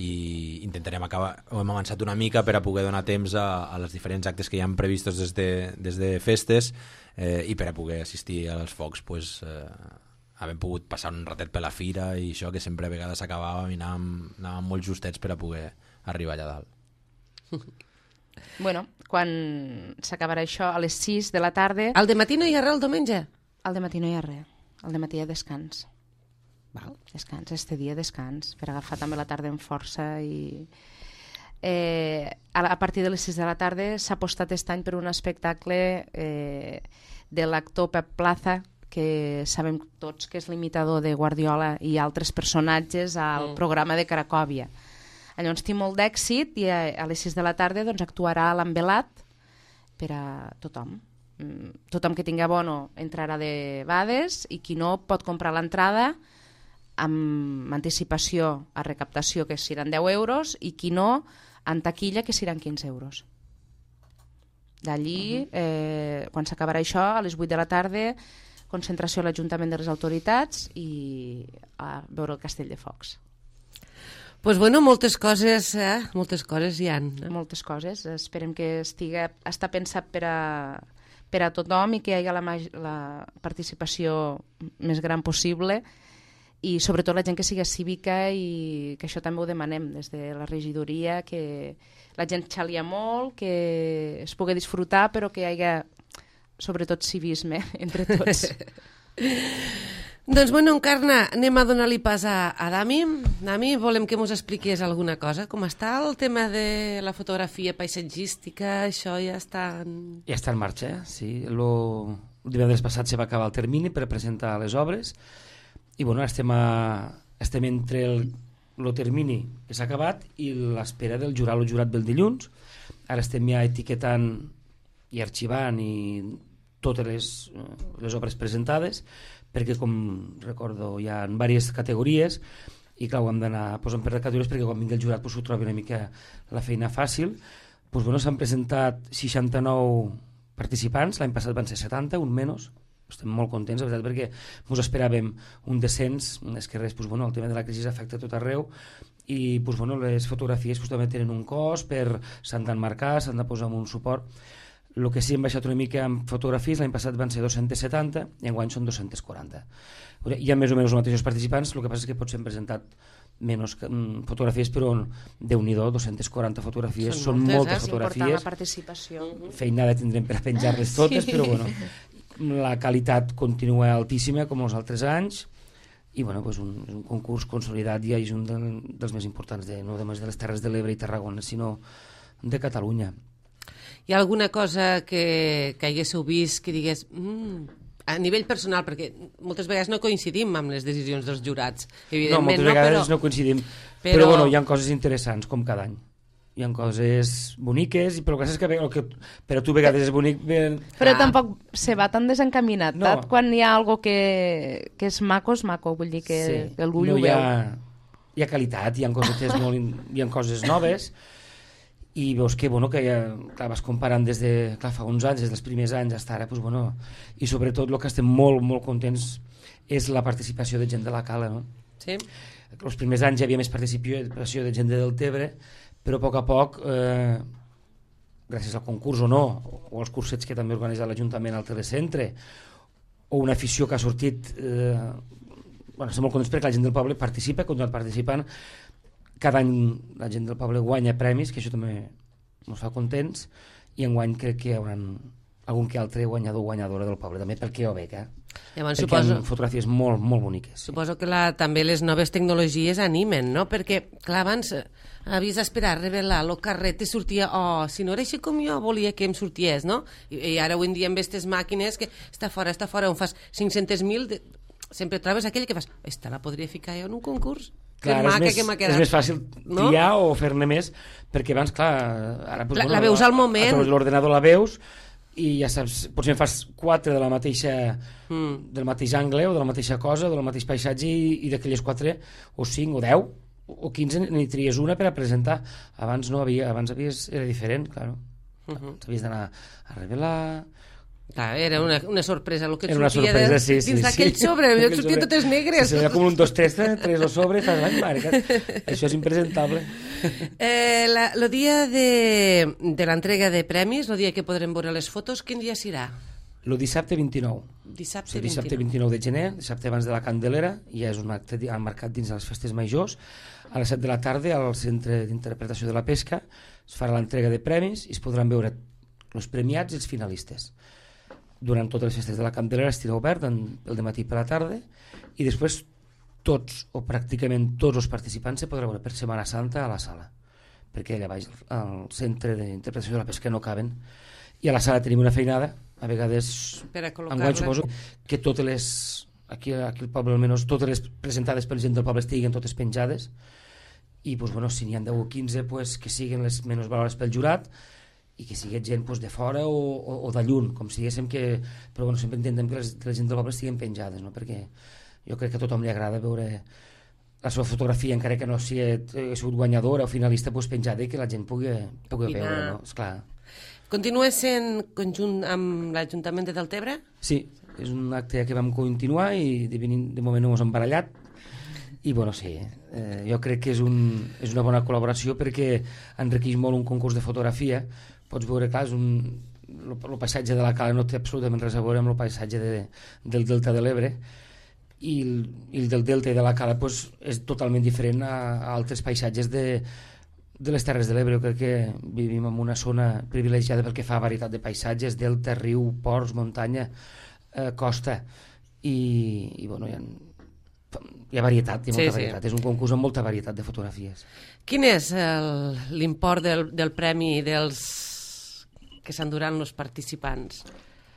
i intentarem acabar, ho hem avançat una mica per a poder donar temps a, a les diferents actes que hi han previstos des de, des de festes, eh, i per a poder assistir als focs, pues, eh, havent pogut passar un ratet per la fira i això, que sempre a vegades acabava i anàvem, anàvem molt justets per a poder arribar allà dalt. Bueno, quan s'acabarà això, a les sis de la tarda, Al dematí no hi ha res el diumenge? al dematí no hi ha res. Al dematí hi ha descans. Val. Descans, este dia descans, per agafar també la tarda amb força. I eh, a, a partir de les sis de la tarda s'ha apostat aquest any per un espectacle eh, de l'actor Pep Plaza, que sabem tots que és l'imitador de Guardiola i altres personatges al Mm. programa de Cracòvia. Llavors té molt d'èxit i a, a les sis de la tarda doncs, actuarà a l'Envelat per a tothom. Mm, Tothom que tingui abono entrarà de bades i qui no pot comprar l'entrada amb anticipació a recaptació, que seran deu euros, i qui no, en taquilla, que seran quinze euros. D'allí, eh, quan s'acabarà això, a les vuit de la tarda, concentració a l'Ajuntament de les Autoritats i a veure el Castell de Focs. Pues bueno, moltes coses, eh? Moltes coses hi han. No? Moltes coses. Esperem que estiga, està pensat per a, per a tothom i que hi hagi la, maj- la participació més gran possible, i sobretot la gent que sigui cívica, i que això també ho demanem des de la regidoria, que la gent xalia molt, que es pugui disfrutar, però que hi hagi sobretot civisme entre tots. Doncs bueno, Encarna, anem a donar-li pas a, a Dami. Dami, volem que mos expliqués alguna cosa. Com està el tema de la fotografia paisatgística? Això ja està... En... Ja està en marxa, eh? Sí. Lo... El divendres passat se va acabar el termini per presentar les obres i bueno, estem, a... estem entre el, el termini que s'ha acabat i l'espera del jurat. El jurat ve el dilluns. Ara estem ja etiquetant i arxivant i totes les, les obres presentades, perquè com recordo hi ha diverses categories i clar, ho hem d'anar posant per categories perquè quan vingui el jurat pues, ho trobi una mica la feina fàcil. Pues, bueno, s'han presentat seixanta-nou participants, l'any passat van ser setanta, un menys. Estem molt contents, la veritat, perquè ens esperàvem un descens, és que res, pues, bueno, el tema de la crisi afecta tot arreu i pues, bueno, les fotografies pues, també tenen un cost, per s'han d'enmarcar, s'han de posar amb un suport. El que sí hem baixat una mica amb fotografies, l'any passat van ser dos-cents setanta i enguany són dos-cents quaranta. Hi ha més o menys els mateixos participants, el que passa és que potser hem presentat menys fotografies, però Déu-n'hi-do, dos-cents quaranta fotografies, són, són moltes, eh? fotografies. La participació. Feinada tindrem per a penjar-les totes, sí. Però bueno, la qualitat continua altíssima com els altres anys i bueno, pues un, un concurs consolidat ja és un de, dels més importants, de, no només de les Terres de l'Ebre i Tarragona, sinó de Catalunya. Hi ha alguna cosa que, que haguéssiu vist que digués mm, a nivell personal, perquè moltes vegades no coincidim amb les decisions dels jurats, evidentment, no, moltes vegades no, però, no coincidim, però... però bueno, hi ha coses interessants com cada any, hi ha coses boniques, però el que és que, el que per a tu a vegades és bonic ben... però ah. tampoc se va tan desencaminat, no. Quan hi ha algo que, que és maco, és maco, vull dir que, sí. que algú no, ho hi ha, veu. Hi ha qualitat, hi ha coses, molt, hi ha coses noves i veus que, bueno, que ja, clar, vas comparant des de, clar, fa uns anys, des dels primers anys fins ara, pues, bueno, i sobretot el que estem molt, molt contents és la participació de gent de la Cala, no? Sí. Els primers anys hi havia més participació de gent de Deltebre, però a poc a poc, eh, gràcies al concurs o no, o als cursets que també organitza l'Ajuntament al Telecentre, o una afició que ha sortit eh, bueno, estem molt contents perquè la gent del poble participa, ha continuat participant. Cada any la gent del poble guanya premis, que això també ens fa contents, i enguany crec que hi haurà algun que altre guanyador o guanyadora del poble, també pel que jo veig, eh? Llavors, perquè suposo, hi ha fotografies molt, molt boniques. Suposo que la, també les noves tecnologies animen, no? Perquè, clar, abans eh, havies d'esperar a revelar el carret i sortia, oh, si no era així com jo volia que em sorties, no? I, i ara avui en dia amb aquestes màquines que està fora, està fora, on fas cinc-cents mil, de... sempre trobes aquell que fas, esta la podria ficar jo en un concurs? Clar, que maca és, més, que m'ha quedat. És més fàcil triar, no? O fer-ne més, perquè abans, clar, ara, doncs, la, bueno, la veus al moment. A través de l'ordenador la veus, i ja saps, potser en fas quatre de la mateixa, mm. del mateix angle o de la mateixa cosa, del mateix paisatge, i, i d'aquelles quatre o cinc o deu o quinze n'hi tries una per a presentar. Abans no havia, abans havies, era diferent, claro. Uh -huh. Havies d'anar a revelar. Clar, era una, una sorpresa el que et era una sortia sorpresa, de, sí, sí, dins d'aquell sí. sobre, jo et sortia totes negres. Sí, era com un dos, tres, tres o sobre, fas, ai, mare, que... això és impresentable. Eh, la, el dia de, de l'entrega de premis, el dia que podrem veure les fotos, quin dia serà? El dissabte vint-i-nou. Dissabte, sí, dissabte vint-i-nou de gener, dissabte abans de la Candelera, ja és un acte marcat dins de les festes majors. A les set de la tarda, al Centre d'Interpretació de la Pesca, es farà l'entrega de premis i es podran veure els premiats i els finalistes. Durant totes les festes de la Candelera estirà obert el dematí per la tarda, i després tots o pràcticament tots els participants se podran veure per Setmana Santa a la sala, perquè allà baix al Centre d'Interpretació de la Pesca no caben, i a la sala tenim una feinada, a vegades enguany suposo que totes les aquí, aquí al poble almenys totes les presentades per gent del poble estiguen totes penjades, i pues, bueno, si n'hi ha deu o quinze pues, que siguin les menys valorades pel jurat, i que sigui gent pues, de fora o, o, o de lluny, com si diguéssim que... Però bueno, sempre intentem que les, que la gent del poble estiguen penjades, no? Perquè jo crec que a tothom li agrada veure la seva fotografia, encara que no sigui ha sigut guanyadora o finalista, pues, penjada, i que la gent pugui, pugui veure, no? Esclar. Continua sent conjunt amb l'Ajuntament de Deltebre? Sí, és un acte que vam continuar i de, de moment no ens hem barallat, i bueno, sí, eh, jo crec que és, un, és una bona col·laboració perquè enriqueix molt un concurs de fotografia. Pots veure, clar, és un, el paisatge de la Cala no té absolutament res a veure amb el paisatge de, del Delta de l'Ebre, i el, i el del Delta i de la Cala pues, és totalment diferent a, a altres paisatges de, de les Terres de l'Ebre. Jo crec que vivim en una zona privilegiada pel que fa a varietat de paisatges, delta, riu, ports, muntanya, eh, costa, i, i bueno, hi ha, hi ha varietat, hi ha molta sí, varietat. Sí. És un concurs amb molta varietat de fotografies. Quin és l'import del, del premi dels que s'enduran els participants?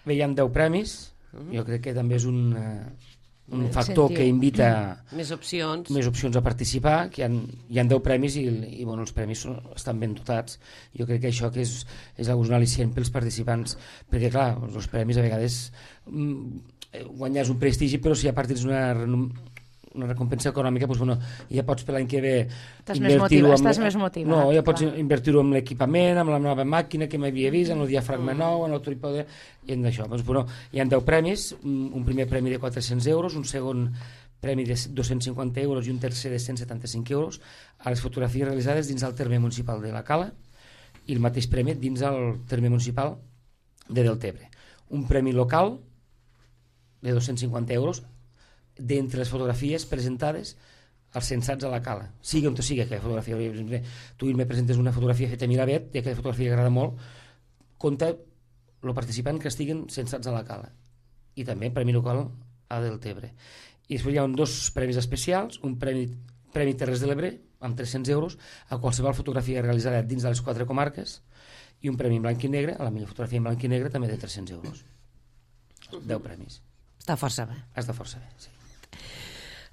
Bé, hi ha deu premis, uh-huh. Jo crec que també és un, uh, un factor que invita més opcions més opcions a participar, que hi ha, hi ha deu premis i, i bueno, els premis són, estan ben dotats. Jo crec que això que és, és un al·licient pels participants, perquè clar, els premis a vegades mm, guanyar és un prestigi, però si a part tens una una recompensa econòmica, doncs, bueno, ja pots per l'any que ve invertir-ho amb... Estàs més motivat. No, ja pots invertir-ho amb l'equipament, amb la nova màquina que m'havia vist, amb el diafragma mm. nou, amb el trípode, i en això. Doncs, bueno, hi ha deu premis, un primer premi de quatre-cents euros, un segon premi de dos-cents cinquanta euros i un tercer de cent setanta-cinc euros a les fotografies realitzades dins del terme municipal de la Cala, i el mateix premi dins el terme municipal de Deltebre. Un premi local de dos-cents cinquanta euros d'entre les fotografies presentades als censats a la Cala, sigui on sigui aquella fotografia. Tu me presentes una fotografia feta a Miravet i aquella fotografia que agrada molt, compta el participant que estiguen censats a la Cala, i també premi local a Deltebre. I després hi ha dos premis especials, un premi, premi Terres de l'Ebre amb tres-cents euros a qualsevol fotografia realitzada dins de les quatre comarques, i un premi en blanc i negre, a la millor fotografia en blanc i negre, també de tres-cents euros. deu premis. Està força bé. Està força bé, sí.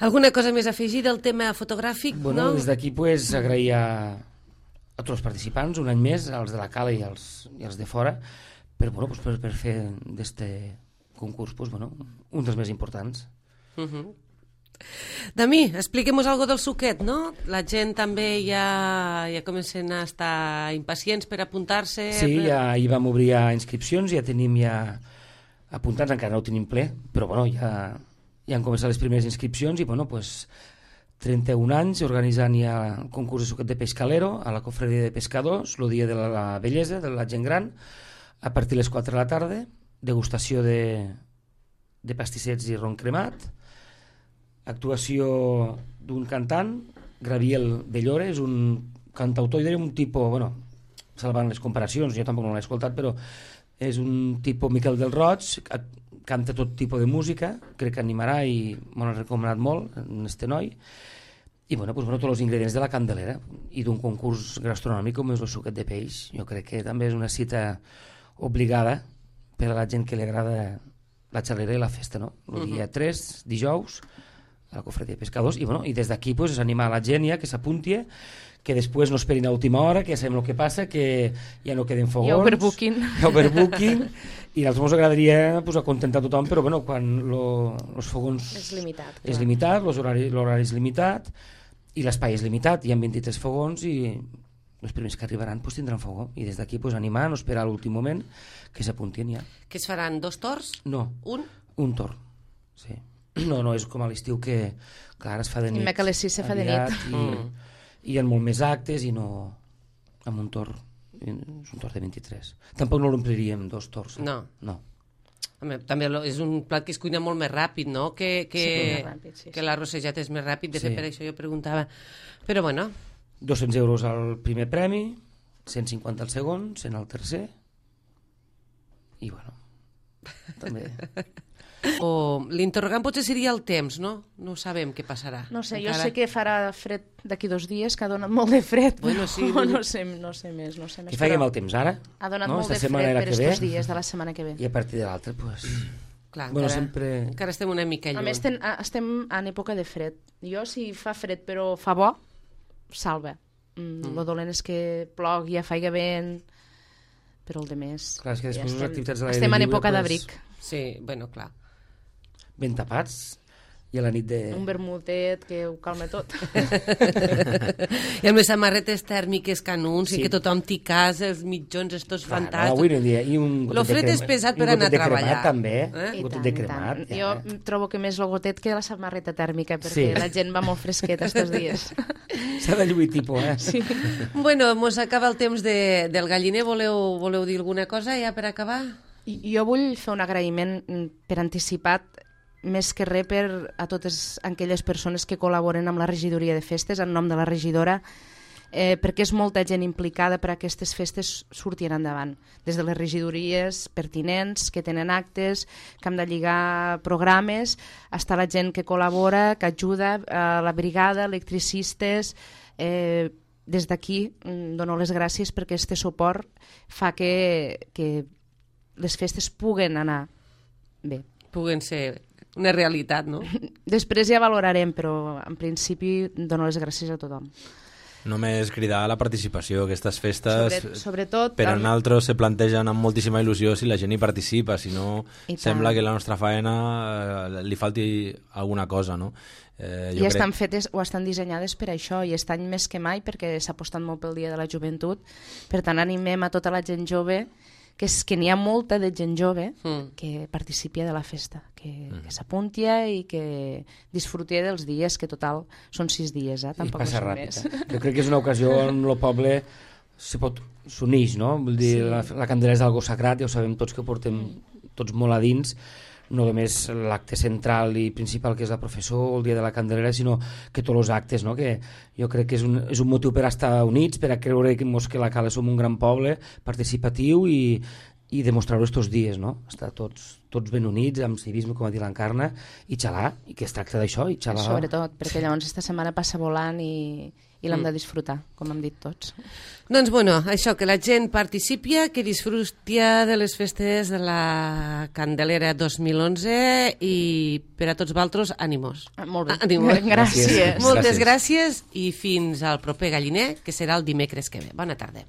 Alguna cosa més a afegir del tema fotogràfic? Bueno, no? Des d'aquí pues, agrair a, a tots els participants, un any més, als de la Cala i als, i als de fora, per, bueno, pues, per, per fer d'este concurs pues, bueno, un dels més importants. Uh -huh. Dami, expliquem-nos algo del suquet, no? La gent també ja, ja comencen a estar impacients per apuntar-se. Sí, per... ja hi vam obrir inscripcions, ja tenim ja apuntats, encara no ho tenim ple, però bueno, ja, ja han començat les primeres inscripcions i bueno, pues, trenta-un anys organitzant ja el concurs de suquet de Pescalero a la Cofreria de Pescadors, el dia de la, la bellesa, de la gent gran, a partir de les quatre de la tarda, degustació de, de pastissets i ron cremat. actuació d'un cantant, Gabriel Bellore, és un cantautor, i un tipus, bueno, salvant les comparacions, jo tampoc no l'he escoltat, però és un tipus Miquel del Roig, canta tot tipus de música, crec que animarà i m'ho han recomanat molt, en este noi, i bueno, pues, bueno, tots els ingredients de la Candelera i d'un concurs gastronòmic com és el suquet de peix. Jo crec que també és una cita obligada per a la gent que li agrada la xalera i la festa, no? El dia tres, dijous, a la Cofradia de Pescadors, i, bueno, i des d'aquí pues, és animar la gent ja que s'apunti, que després no esperin a última hora, que ja sabem el que passa, que ja no queden fogons. Hi ha overbooking. Hi ha overbooking, i a nosaltres ens agradaria pues, acontentar tothom, però bueno, quan els fogons... És limitat. És limitat, l'horari és limitat, i l'espai és limitat, hi ha vint-i-tres fogons i els primers que arribaran pues, tindran fogó, i des d'aquí pues, animar, no esperar a l'últim moment que s'apuntin ja. Que es faran dos torns? No, un? Un torn, sí. No, no és com a l'estiu que clar, es fa de nit. I que a les sis se fa de nit. I, mm. i hi ha molt més actes i no amb un torn, és un torn de vint-i-tres. Tampoc no l'ompliríem dos torns. No. No. Home, també és un plat que es cuina molt més ràpid, no? Que, que, sí, ràpid, sí, que l'arrossejat és més ràpid, de sí. fet per això jo preguntava. Però bueno... dos-cents euros al primer premi, cent cinquanta al segon, cent al tercer, i bueno, també... O l'interrogant potser seria el temps, no? No sabem què passarà. No sé, encara... jo sé que farà fred d'aquí dos dies, que ha donat molt de fred, bueno, sí, però no sé, no sé més. No sé més que faiguem però... el temps ara. Ha donat no? molt Esta de fred per aquests dies de la setmana que ve. I a partir de l'altra, doncs... Clar, bueno, encara, sempre... encara estem una mica lluny. A més, ten, estem en època de fred. Jo, si fa fred però fa bo, salva. Mm, mm. Lo dolent és que plogui, ja faiga vent, però el de més... Clar, és que després ja les activitats de l'aire estem en lliure, època pues... d'abric. Sí, bueno, clar. Ben tapats, i a la nit de... Un vermutet que ho calma tot. I amb les samarretes tèrmiques canuns, sí. I que tothom t'hi casa, els mitjons, estos Clar, fantàstics. No, avui en dia, i un Lo fred és pesat per anar a treballar. Cremat, també, eh? un gotet tant, de cremat. Ja, jo eh? trobo que més el gotet que la samarreta tèrmica, perquè sí. la gent va molt fresqueta estos dies. S'ha de lluir tipus, eh? Sí. Bueno, mos acaba el temps de, del galliner. Voleu, voleu dir alguna cosa ja per acabar? I, jo vull fer un agraïment per anticipat, més que res per a totes aquelles persones que col·laboren amb la regidoria de festes, en nom de la regidora, eh, perquè és molta gent implicada per a aquestes festes sortien endavant. Des de les regidories pertinents, que tenen actes, que hem de lligar programes, fins a la gent que col·labora, que ajuda, eh, la brigada, electricistes... Eh, des d'aquí dono les gràcies perquè aquest suport fa que, que les festes puguen anar bé. Puguen ser una realitat, no? Després ja valorarem, però en principi dono les gràcies a tothom. Només cridar a la participació. Aquestes festes, Sobre, sobretot, per a nosaltres, se plantegen amb moltíssima il·lusió si la gent hi participa, si no sembla que la nostra faena eh, li falti alguna cosa, no? Eh, I estan crec... fetes o estan dissenyades per això, i estan més que mai perquè s'ha apostat molt pel Dia de la Joventut. Per tant, animem a tota la gent jove, que, és, que n'hi ha molta de gent jove mm. que participi de la festa, que, mm. que s'apunti i que disfruti dels dies, que total són sis dies, eh? Tampoc I passa no ràpid. més. Eh? Jo crec que és una ocasió on el poble se pot s'uneix, no? Vull dir, sí. la, la candela és algo sagrat, ja ho sabem tots que portem tots molt a dins, no només l'acte central i principal que és la professor, el dia de la Candelera, sinó que tots els actes, no? Que jo crec que és un, és un motiu per estar units, per a creure que, mos, que la Cala som un gran poble participatiu i, i demostrar-ho estos dies, no? Estar tots, tots ben units, amb civisme, com ha dit l'Encarna, i xalar, i que es tracta d'això, i xalar. Sobretot, perquè llavors esta setmana passa volant i, i l'hem de disfrutar, com hem dit tots. Doncs, bueno, això, que la gent participi, que disfruti de les festes de la Candelera dos mil onze i per a tots vosaltres, ànimos. Ah, molt bé, ànimos. gràcies. gràcies. Moltes gràcies i fins al proper galliner, que serà el dimecres que ve. Bona tarda.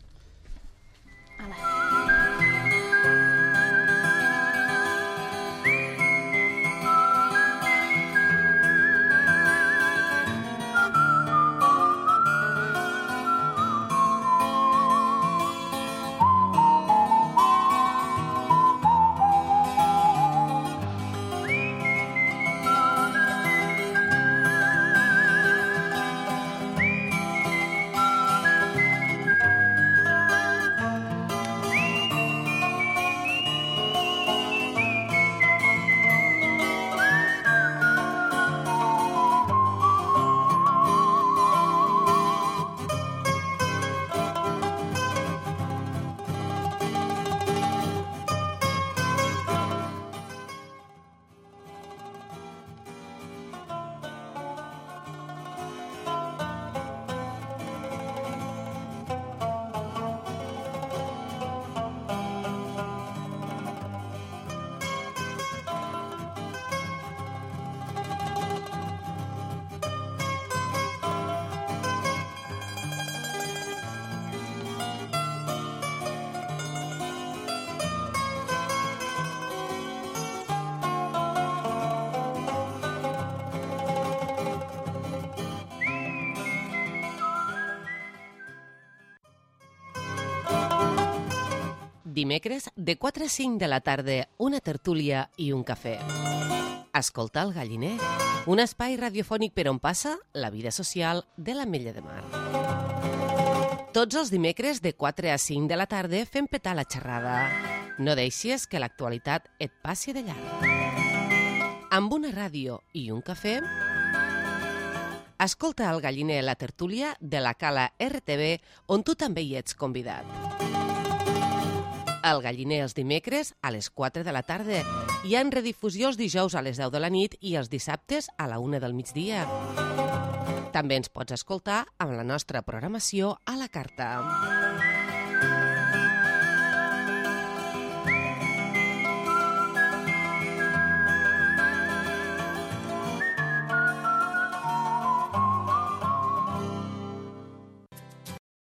Dimecres, de quatre a cinc de la tarda, una tertúlia i un cafè. Escolta el Galliner, un espai radiofònic per on passa la vida social de l'Ametlla de Mar. Tots els dimecres, de quatre a cinc de la tarda, fem petar la xerrada. No deixis que l'actualitat et passi de llarg. Amb una ràdio i un cafè, escolta el Galliner, la tertúlia de la Cala R T V, on tu també hi ets convidat. El Galliner els dimecres a les quatre de la tarda. Hi ha redifusió els dijous a les deu de la nit i els dissabtes a la una del migdia. També ens pots escoltar amb la nostra programació a la carta.